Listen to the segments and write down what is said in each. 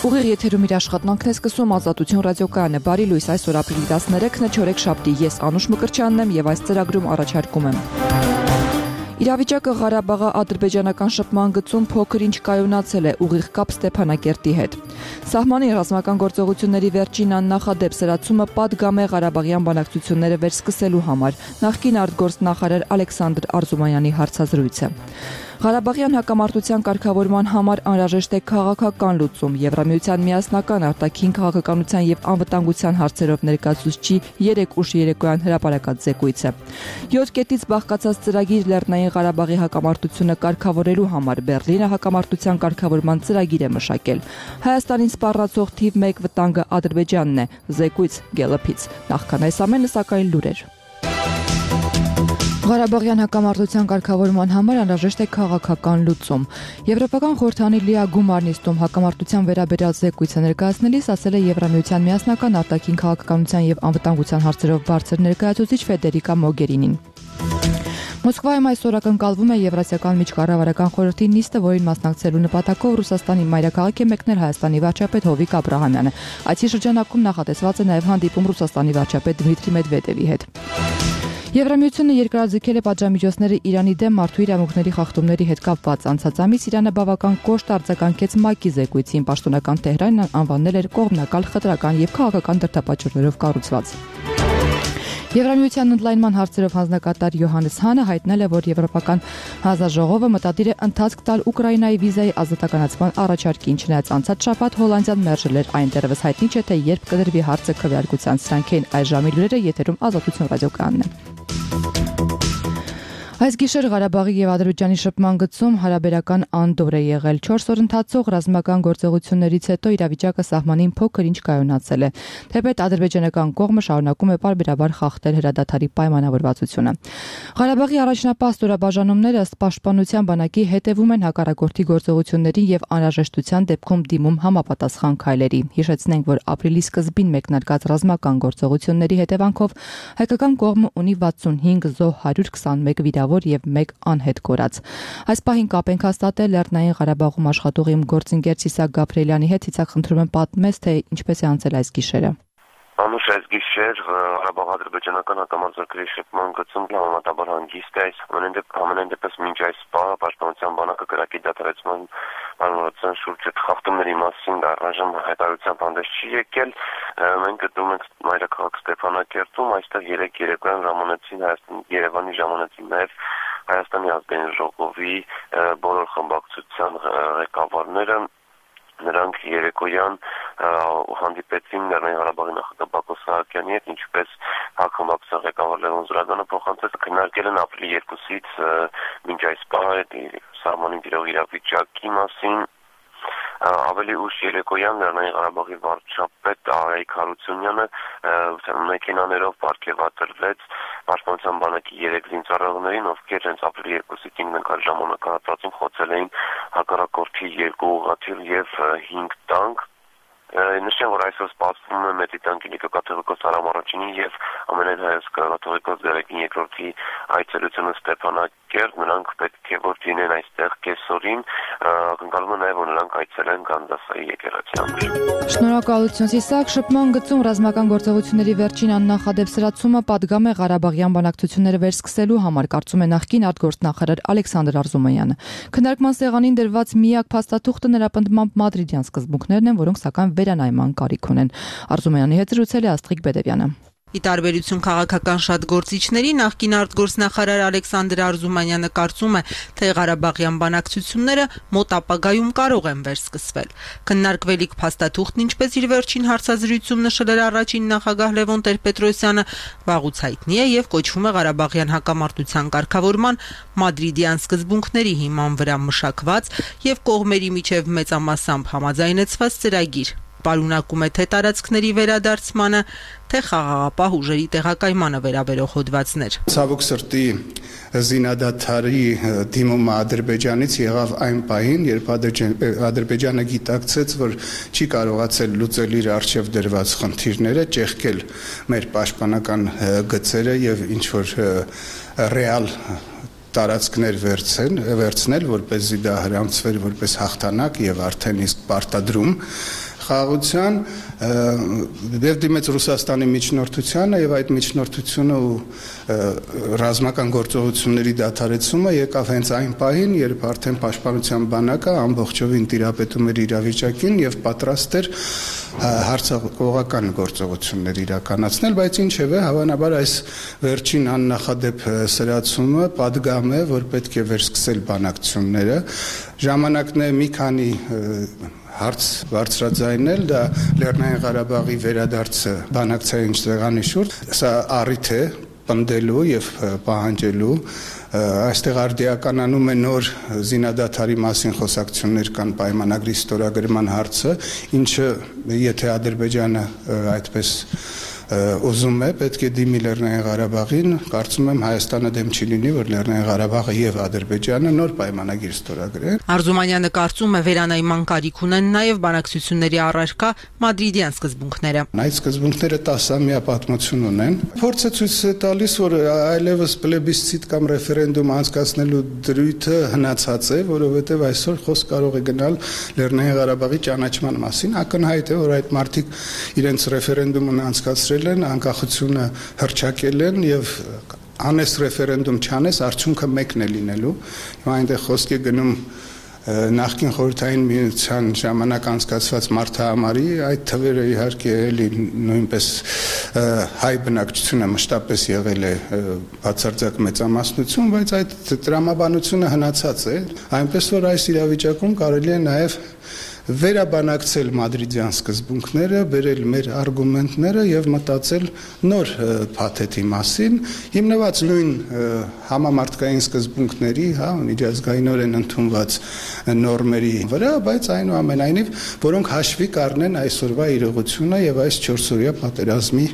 Ուղիղ եթերում իր աշխատանքն է սկսում Ազատություն ռադիոկայանը։ Բարի լույս, այսօր ապրիլի 13-ն է, չորեքշաբթի, ես Անուշ Մկրտչյանն եմ եւ այս ծրագրում առաջարկում եմ. Իրավիճակը Ղարաբաղի ադրբեջանական շփման գծում փոքր-ինչ կայունացել է, ուղիղ կապ Ստեփանակերտի հետ։ Սահմանի ռազմական գործողությունների վերջին աննախադեպ սրացումը պատգամ է Ղարաբաղյան բանակցությունները վերսկսելու համար, նախկին արտգործնախարար Ալեքսանդր Արզումանյանի հարցազրույցը։ Ղարաբաղյան հակամարտության կարգավորման համար անհրաժեշտ է քաղաքական լուծում։ Եվրամիության միասնական արտաքին քաղաքականության եւ անվտանգության հարցերով ներկայացուցչի 3 ուշ երեկոյան հրապարակած զեկույցը։ 7 կետից բաղկացած ծրագիր Լեռնային Ղարաբաղի հակամարտությունը կարգավորելու համար Բեռլինը հակամարտության կարգավորման ծրագիր է մշակել։ Հայաստանին սպառնացող թիվ 1 վտանգը Ադրբեջանն է։ Զեկույց Գելլափից։ Նախքան այս ամենը, սակայն լուրեր։ Ղարաբաղյան հակամարտության կարգավորման համար անհրաժեշտ է քաղաքական լուծում։ Եվրոպական խորհրդանի լիագումար նիստում հակամարտության վերաբերյալ զեկույցը ներկայացնելիս ասել է Եվրամիության միասնական արտաքին քաղաքականության եւ անվտանգության հարցերով բարձր ներկայացուցիչ Ֆեդերիկա Մոգերինին։ Մոսկվայում այսօր ակնկալվում է Եվրասիական միջկառավարական խորհրդի նիստը, որին մասնակցելու նպատակով Ռուսաստանի մայրաքաղաք է մեկնել Հայաստանի վարչապետ Հովիկ Աբրահամյանը։ Այցի շրջանակում նախատեսված է նաև հանդիպում Ռուսաստանի վարչապետ Դմիտրի Մեդվեդևի հետ։ Եվրամիությունը երկրաձգել է պատժամիջոցները Իրանի դեմ մարդու իրավունքների խախտումների հետ կապված։ Անցած ամիս Իրանը բավական կոշտ արձագանքեց ՄԱԿ-ի զեկույցին, պաշտոնական Թեհրանն անվանել էր կողմնակալ, խտրական եւ քաղաքական դրդապատճառներով կառուցված։ Եվրամիության ընդլայնման հարցերով հանձնակատար Յոհաննես Հանը հայտնել է, որ Եվրոպական հանձնաժողովը մտադիր է ընթացք տալ Ուկրաինայի վիզայի ազատականացման առաջարկին, չնայած անցած շաբաթ Հոլանդիան մերժել էր այն, դեռևս հայտնի չէ, թե երբ կդրվի հարցը քվեարկության։ Սրանք են այս ժամի լուրերը, եթերում Ազատություն ռադիոկայանն է։ Այս գիշեր Ղարաբաղի եւ Ադրբեջանի շփման գծում հարաբերական անդորր է եղել։ 4 օր ընթացող ռազմական գործողություններից հետո իրավիճակը սահմանին փոքր-ինչ կայունացել է։ Թեպետ ադրբեջանական կողմը շարունակում է պարբերաբար խախտել հրադադարի պայմանավորվածությունը։ Ղարաբաղի առաջնապահ ստորաբաժանումները ըստ պաշտպանության բանակի հետևում են հակառակորդի գործողություններին եւ անհրաժեշտության դեպքում դիմում համապատասխան քայլերի։ Հիշեցնենք, որ ապրիլի սկզբին մեկնարկած ռազմական գործողությունների հետևանքով հայկական կողմը ունի 65 զոհ, 121 վիրավոր եւ 1 անհետ կորած։ Այս պահին կապ ենք հաստատել Լեռնային Ղարաբաղում աշխատող իմ գործընկեր Ցիսակ Գաբրիելյանի հետ։ Ցիսակ, խնդրում եմ պատմես, թե ինչպես է անցել այս գիշերը։ Անուշ, այս գիշեր Ղարաբաղ-ադրբեջանական հակամարտությունների շփման գծում համեմատաբար հանգիստ է։ Ամենայն դեպս մինչ այս պահը պաշտպանության բանակը կրակի դադարեցման պայմանավորվածության շուրջ խախտումների մասին առայժմ հայտարարությամբ հանդես չի եկել։ Մենք գտնվում ենք մայրաքաղաք Ստեփանակերտում, այստեղ 3 երեկոյան ժամանեցին Երևանի ժամանեցին նաև Հայաստանի ազգային ժողովի բոլոր խմբակցության ղեկավարները։ Նրանք երեկոյան հանդիպեցին Լեռնային Ղարաբաղի նախագահ Բակո Սահակյանի հետ, ինչպես հակամարտության ղեկավար Լևոն Զուրաբյանը փոխանցեց, քննարկել են ապրիլի 2-ից մինչ այս պահը սահմանին տիրող իրավիճակի մասին։ Ավելի ուշ երեկոյան Լեռնային Ղարաբաղի վարչապետ Արայիկ Հարությունյանը մեքենաներով պարգևատրվեց պաշտպանության բանակի 3 զինծառայողներին, ովքեր հենց ապրիլի 2-ից 5 ժամանակահատվածում խոցել էին հակառակորդի 2 ուղղաթիռ եւ 5 տանկ։ Նշեմ, որ այսօր սպասվում է Մեծի տանկի նիկոկաթողիկոս Արամ առաջինի եւ ամենայն հայոց կաթողիկոս Գերեգին երկրորդի այցելությունը Ստեփանակերտ։ Նրանք պետք է որ լինեն այստեղ կեսօրին, ակնկալում է նաեւ որ նրանք այցելեն Գանդասայի եկեղեցի։ Շնորհակալություն, Ցիսակ։ Շփման գծում ռազմական գործողությունների վերջին աննախադեպ սրացումը պատգամ է Ղարաբաղյան բանակցությունները վերսկսելու համար, կարծում է նախկին արտգործնախարար Ալեքսանդր Արզումանյանը։ Քննարկման սեղանին դրված միակ փաստաթուղթը նրա պնդմամբ մադրիդյան սկզբունքներն են, որոնք սակայն վերանայման կարիք ունեն։ Արզումանյանի հետ զրուցել է Աստղիկ Բեդևյանը։ Ի տարբերություն քաղաքական շատ գործիչների, նախկին արտգործնախարար Ալեքսանդր Արզումանյանը կարծում է, թե Ղարաբաղյան բանակցությունները մոտ ապագայում կարող են վերսկսվել։ Քննարկվելիք փաստաթուղթն, ինչպես իր վերջին հարցազրույցում նշել էր առաջին նախագահ Լևոն Տեր-Պետրոսյանը, վաղուց հայտնի է եւ կոչվում է Ղարաբաղյան հակամարտության կարգավորման մադրիդյան սկզբունքների հիման վրա մշակված եւ կողմերի միջև մեծամասամբ համաձայնեցված ծրագիր։ Պարունակում է թե տարածքների վերադարձմանը, թե խաղաղապահ ուժերի տեղակայմանը վերաբերող հոդվածներ։ Ցավոք սրտի զինադադարի դիմումը Ադրբեջանից եղավ այն պահին, երբ Ադրբեջանը գիտակցեց, որ չի կարողացել լուծել իր առջև դրված խնդիրները, ճեղքել մեր պաշտպանական գծերը եւ ինչ որ ռեալ տարածքներ վերցնել, որպեսզի դա հрамցվեր որպես հաղթանակ եւ արդեն իսկ պարտադրում խաղաղության եւ դիմեց Ռուսաստանի միջնորդությանը եւ այդ միջնորդությունը ու ռազմական գործողությունների դադարեցումը եկավ հենց այն պահին, երբ արդեն պաշտպանության բանակը ամբողջովին տիրապետում էր իրավիճակին եւ պատրաստ էր հարձակողական գործողություններ իրականացնել, բայց ինչևէ հավանաբար այս վերջին աննախադեպ սրացումը պատգամ է, որ պետք է վերսկսել բանակցությունները։ Ժամանակն է մի քանի հարց բարձրաձայնել, դա Լեռնային Ղարաբաղի վերադարձը բանակցային սեղանի շուրջ, սա առիթ է պնդելու եւ պահանջելու, այստեղ արդիականանում է նոր զինադադարի մասին խոսակցություններ կան պայմանագրի ստորագրման հարցը, ինչը եթե Ադրբեջանը այդպես ուզում է, պետք է դիմի Լեռնային Ղարաբաղին, կարծում եմ Հայաստանը դեմ չի լինի, որ Լեռնային Ղարաբաղը եւ Ադրբեջանը նոր պայմանագիր ստորագրեն։ Արզումանյանը կարծում է վերանայման կարիք ունեն նաեւ բանակցությունների առարկա մադրիդյան սկզբունքները։ Այդ սկզբունքները 10-ամյա պատմություն ունեն։ Փորձը ցույց է տալիս, որ այլևս պլեբիսցիտ կամ ռեֆերենդում անցկացնելու դրույթը հնացած է, որովհետեւ այսօր խոսք կարող է գնալ Լեռնային Ղարաբաղի ճանաչման մասին։ Ակնհայտ է, որ այդ մարդիկ իրենց ռեֆերենդումն անցկացրել են, անկախությունը հռչակել են եւ անես ռեֆերենդում չանես, արդյունքը մեկն է լինելու։ Հիմա այնտեղ խոսք է գնում նախկին խորհրդային միության ժամանակ անցկացված մարդահամարի, այդ թվերը իհարկե էլի նույնպես հայ բնակչությունը մշտապես եղել է բացարձակ մեծամասնություն, բայց այդ տրամաբանությունը հնացած է, այնպես որ այս իրավիճակում կարելի է նաեւ վերաբանակցել մադրիդյան սկզբունքները, բերել մեր արգումենտները եւ մտածել նոր փաթեթի մասին, հիմնված նույն համամարտկային սկզբունքների, միջազգայինորեն ընդունված նորմերի վրա, բայց այնուամենայնիվ, որոնք հաշվի կառնեն այսօրվա իրողությունը եւ այս 4-օրյա պատերազմի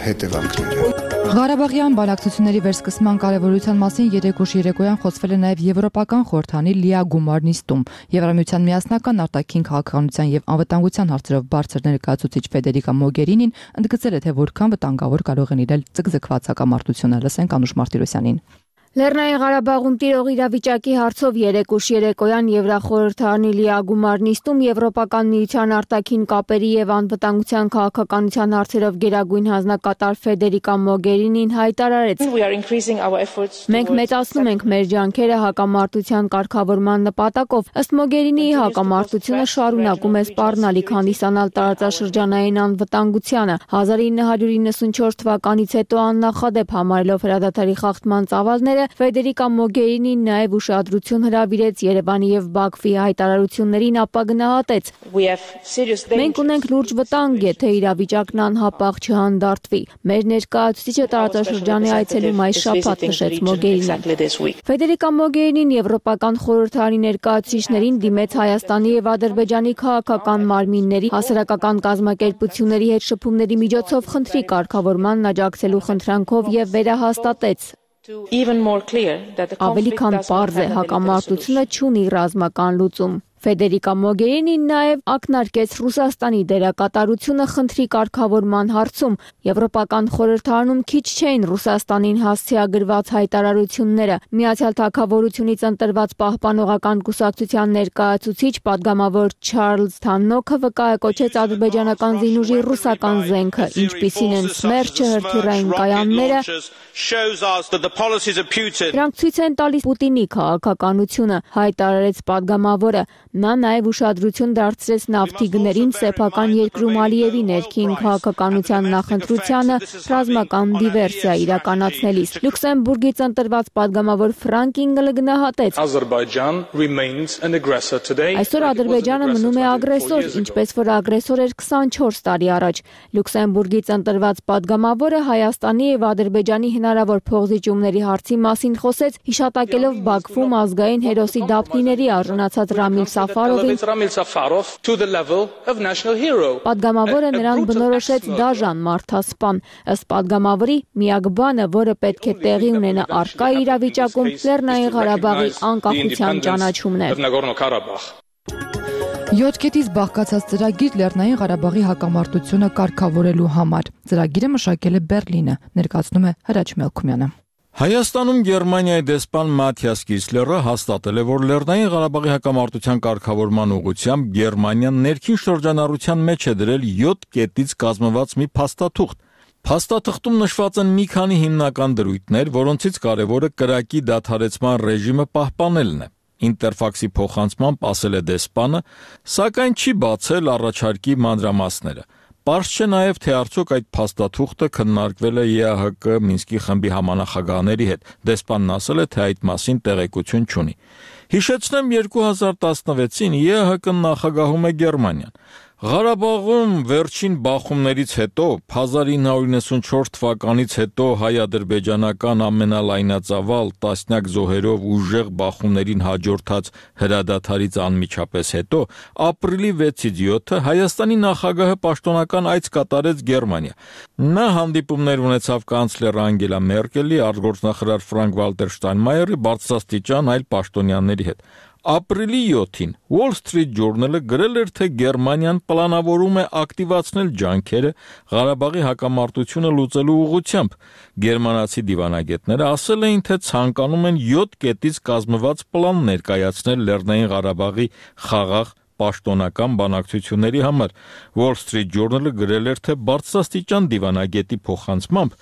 հետևանքները։ Ղարաբաղյան բանակցությունների վերսկսման կարևորության մասին երեկոշի երեկոյան խոսվել է նաև Եվրոպական խորհրդանի լիագումար նիստում։ Եվրամիության միասնական արտաքին քաղաքականության եւ անվտանգության հարցերով բարձր ներկայացուցիչ Ֆեդերիկա Մոգերինին ընդգծել է, թե որքան վտանգավոր կարող են իրել ձգձգված հակամարտությունը։ Լսենք Անուշ Մարտիրոսյանին։ Լեռնային Ղարաբաղում տիրող իրավիճակի հարցով երեկոշի երեկոյան Եվրախորհրդարանի լիագումար նիստում Եվրոպական միության արտաքին կապերի եւ անվտանգության քաղաքականության հարցերով գերագույն հանձնակատար Ֆեդերիկա Մոգերինին հայտարարեց. Մենք մեծացնում ենք մեր ջանքերը հակամարտության կարգավորման նպատակով։ Ըստ Մոգերինիի հակամարտությունը շարունակում է սպառնալիք հանդիսանալ տարածաշրջանային անվտանգությանը։ 1994 թվականից հետո աննախադեպ համարելով հրադադարի խախտման ծավալները Ֆեդերիկա Մոգերինին նաև ուշադրություն հրավիրեց Երևանի եւ Բաքվի հայտարարություններին, ապա գնահատեց. Մենք ունենք լուրջ վտանգ, եթե իրավիճակն անհապաղ չհանդարտվի։ Մեր ներկայացուցիչը տարածաշրջանի այցելում այս շաբաթ նշեց Մոգերինին։ Ֆեդերիկա Մոգերինին Եվրոպական խորհրդարանի ներկայացուցիչներին դիմեց Հայաստանի եւ Ադրբեջանի քաղաքական մարմինների, հասարակական կազմակերպությունների հետ շփումների միջոցով խնդրի կարգավորման աջակցելու խնդրանքով եւ վերահաստատեց. Ավելի քան պարզ է, հակամարտությունը չունի ռազմական լուծում։ Ֆեդերիկա Մոգերինին նաև ակնարկեց Ռուսաստանի դերակատարությունը խնդրի կարգավորման հարցում։ Եվրոպական խորհրդարանում քիչ չէին Ռուսաստանին հասցեագրված հայտարարությունները։ Միացյալ Թագավորությունից ընտրված պահպանողական կուսակցության ներկայացուցիչ падգամավոր Չարլզ Թաննոքը վկայակոչեց ադրբեջանական զինուժի ռուսական զենքը, ինչպիսին են Սմերջը, հրթիռային կայանները։ Դրանք ցույց են տալիս Պուտինի քաղաքականությունը, հայտարարեց падգամավորը։ Նա նաև ուշադրություն դարձրեց նավթի գներին սեփական երկրում Ալիևի ներքին քաղաքականության նախընտրությանը ռազմական դիվերսիա իրականացնելիս։ Լյուքսեմբուրգից ընտրված падգամավոր Ֆրանկ Ինգլը գնահատեց. Այսօր Ադրբեջանը մնում է ագրեսոր, ինչպես որ ագրեսոր էր 24 տարի առաջ։ Լյուքսեմբուրգից ընտրված падգամավորը Հայաստանի եւ Ադրբեջանի հնարավոր փոխզիջումների հարցի մասին խոսեց, հիշատակելով Բաքվում ազգային հերոսի դափնիների արժանացած Ռամիլ Պատգամավորը նրան բնորոշեց դաժան մարդասպան։ Ըստ պատգամավորի միակ բանը, որը պետք է տեղի ունենա առկա իրավիճակում, Լեռնային Ղարաբաղի անկախության ճանաչումն է։ 7 կետից բաղկացած ծրագիր Լեռնային Ղարաբաղի հակամարտությունը կարգավորելու համար։ Ծրագիրը մշակել է Բեռլինը, ներկայացնում է Հրաչ Մելքումյանը։ Հայաստանում Գերմանիայի դեսպան Մաթիաս Կիսլերը հաստատել է, որ Լեռնային Ղարաբաղի հակամարտության կարգավորման ուղղությամբ Գերմանիան ներքին շրջանառության մեջ է դրել 7 կետից կազմված մի փաստաթուղթ։ Փաստաթղթում նշված են մի քանի հիմնական դրույթներ, որոնցից կարևորը կրակի դադարեցման ռեժիմը պահպանելն է։ Ինտերֆաքսի փոխանցմամբ ասել է դեսպանը, սակայն չի բացել առաջարկի մանրամասները։ Պարզ չէ նաև, թե արդյոք այդ փաստաթուղթը քննարկվել է ԵԱՀԿ Մինսկի խմբի համանախագահաների հետ։ Դեսպանն ասել է, թե այդ մասին տեղեկություն չունի։ Հիշեցնեմ, 2016-ին ԵԱՀԿ-ն նախագահում է Գերմանիան։ Ղարաբաղում վերջին բախումներից հետո 1994 թվականից հետո հայ-ադրբեջանական ամենալայնածավալ տասնյակ զոհերով ուժեղ բախումներին հաջորդած հրադադարից անմիջապես հետո ապրիլի 6-ից 7-ը Հայաստանի նախագահը պաշտոնական այց կատարեց Գերմանիա։ Նա հանդիպումներ ունեցավ կանցլեր Անգելա Մերկելի, արտգործնախարար Ֆրանկ-Վալտեր Շտայնմայերի, բարձրաստիճան այլ պաշտոնյաների հետ։ Ապրիլի 7-ին Wall Street Journal-ը գրել էր, թե Գերմանիան պլանավորում է ակտիվացնել ջանքերը Ղարաբաղի հակամարտությունը լուծելու ուղղությամբ։ Գերմանացի դիվանագետները ասել էին, թե ցանկանում են 7 կետից կազմված պլան ներկայացնել Լեռնային Ղարաբաղի խաղաղ պաշտոնական բանակցությունների համար։ Wall Street Journal-ը գրել էր, թե բարձրաստիճան դիվանագետի փոխանցմամբ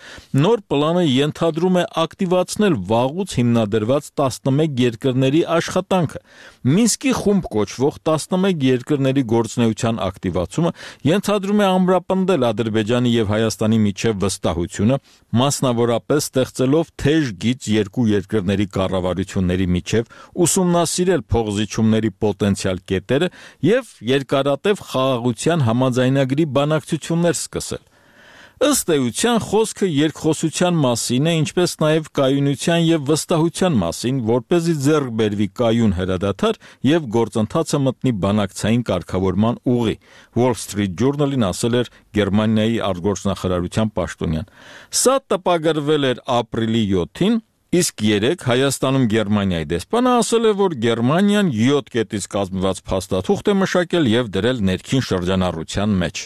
նոր պլանը ենթադրում է ակտիվացնել վաղուց հիմնադրված 11 երկրների աշխատանքը։ Մինսկի խումբ կոչվող 11 երկրների գործունեության ակտիվացումը ենթադրում է ամրապնդել Ադրբեջանի եւ Հայաստանի միջև վստահությունը, մասնավորապես ստեղծելով թեժ գիծ երկու երկրների կառավարությունների միջև, ուսումնասիրել փոխզիջումների պոտենցիալ կետերը եւ երկարատև խաղաղության համաձայնագրի բանակցություններ սկսել։ Ըստ էության խոսքը երկխոսության մասին է, ինչպես նաև կայունության եւ վստահության մասին, որպեսզի ձեռք բերվի կայուն հրադադար եւ գործընթացը մտնի բանակցային կարգավորման ուղի։ Wall Street Journal-ին ասել էր Գերմանիայի արտգործնախարարության պաշտոնյան։ Սա տպագրվել էր ապրիլի 7-ին, իսկ երեկ Հայաստանում Գերմանիայի դեսպանը ասել է, որ Գերմանիան 7 կետից կազմված փաստաթուղթ է մշակել եւ դրել ներքին շրջանառության մեջ։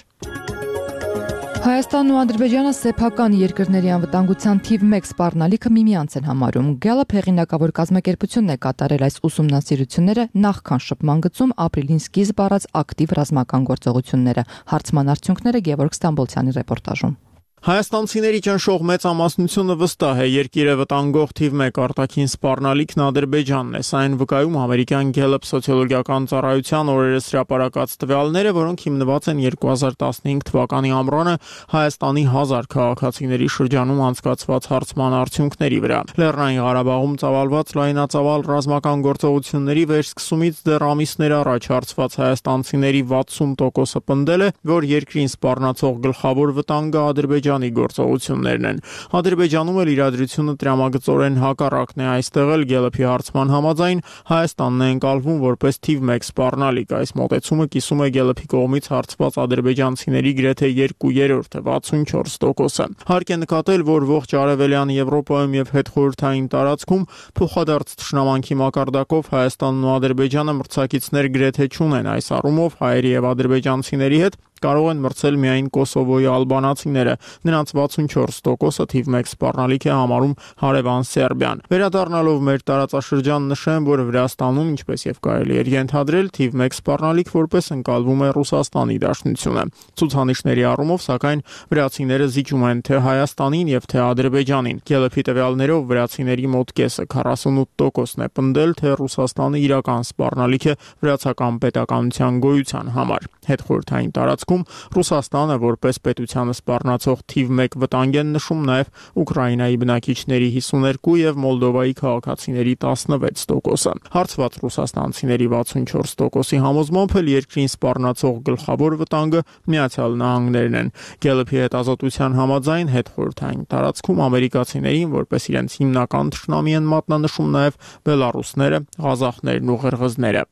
Հայաստանն ու Ադրբեջանը սեփական երկրների անվտանգության թիվ 1 սպառնալիքը միմյանց են համարում։ Gallup հեղինակավոր կազմակերպությունն է կատարել այս ուսումնասիրությունները նախքան շփման գծում ապրիլին սկիզբ առած ակտիվ ռազմական գործողությունները։ Հարցման արդյունքները Գևորգ Ստամբոլցյանի ռեպորտաժում։ Հայաստանցիների ճնշող մեծամասնությունը վստահ է երկիրը վտանգող թիվ 1 արտաքին սպառնալիքն Ադրբեջանն է։ Սա այն վկայում ամերիկյան Gallup սոցիոլոգիական ծառայության օրերս հրապարակած տվյալները, որոնք հիմնված են 2015 թվականի ամռանը Հայաստանի 1000 քաղաքացիների շրջանում անցկացված հարցման արդյունքների վրա։ Լեռնային Ղարաբաղում ծավալված լայնածավալ ռազմական գործողությունների վերսկսումից դեռ ամիսներ առաջ հարցված հայաստանցիների 60%-ը պնդել է, որ երկրին սպառնացող գլխավոր վտանգը Ադրբեջանի գործողություններն են։ Ադրբեջանում էլ իրադրությունը տրամագծորեն հակառակն է։ Այստեղ էլ Gallup-ի հարցման համաձայն Հայաստանն է ընկալվում որպես թիվ 1 սպառնալիք։ Այս մոտեցումը կիսում է Gallup-ի կողմից հարցված ադրբեջանցիների գրեթե 2/3-ը, 64%-ը։ Հարկ է նկատել, որ ողջ արևելյան Եվրոպայում եւ հետխորհրդային տարածքում փոխադարձ թշնամանքի մակարդակով Հայաստանն ու Ադրբեջանը մրցակիցներ գրեթե չունեն։ Այս առումով հայերի եւ ադրբեջանցիների հետ կարող են մրցել միայն Կոսովոյի ալբանացիները։ Նրանց 64%-ը թիվ 1 սպառնալիք է համարում հարևան Սերբիան։ Վերադառնալով մեր տարածաշրջան նշեմ, որ Վրաստանում, ինչպես եւ կարելի էր ենթադրել, թիվ 1 սպառնալիք որպես ընկալվում է Ռուսաստանի Դաշնությունը։ Ցուցանիշների առումով, սակայն, վրացիները զիջում են թե Հայաստանին եւ թե Ադրբեջանին։ Gallup-ի տվյալներով վրացիների մոտ կեսը 48%-ն է պնդել, թե Ռուսաստանը իրական սպառնալիք է վրացական պետականության գոյության համար։ Հետխորհրդային տարածքում Ռուսաստանը որպես պետությանը սպառնացող թիվ 1 վտանգ են նշում նաև Ուկրաինայի բնակիչների 52 եւ Մոլդովայի քաղաքացիների 16%-ը։ Հարցված ռուսաստանցիների 64%-ի համոզմամբ էլ երկրին սպառնացող գլխավոր վտանգը Միացյալ Նահանգներն են։ Gallup-ի հետազոտության համաձայն հետխորհրդային տարածքում ամերիկացիներին որպես իրենց հիմնական թշնամի են մատնանշում նաև բելառուսները, ղազախներն ու ղրղզները։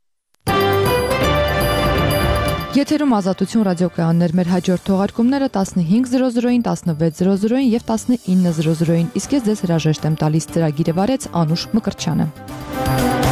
Եթերում Ազատություն ռադիոկայաններ, մեր հաջորդ թողարկումները 15:00-ին, 16:00-ին եւ 19:00-ին, իսկ ես ձեզ հրաժեշտ եմ տալիս, ծրագիրը վարեց Անուշ Մկրտչյանը։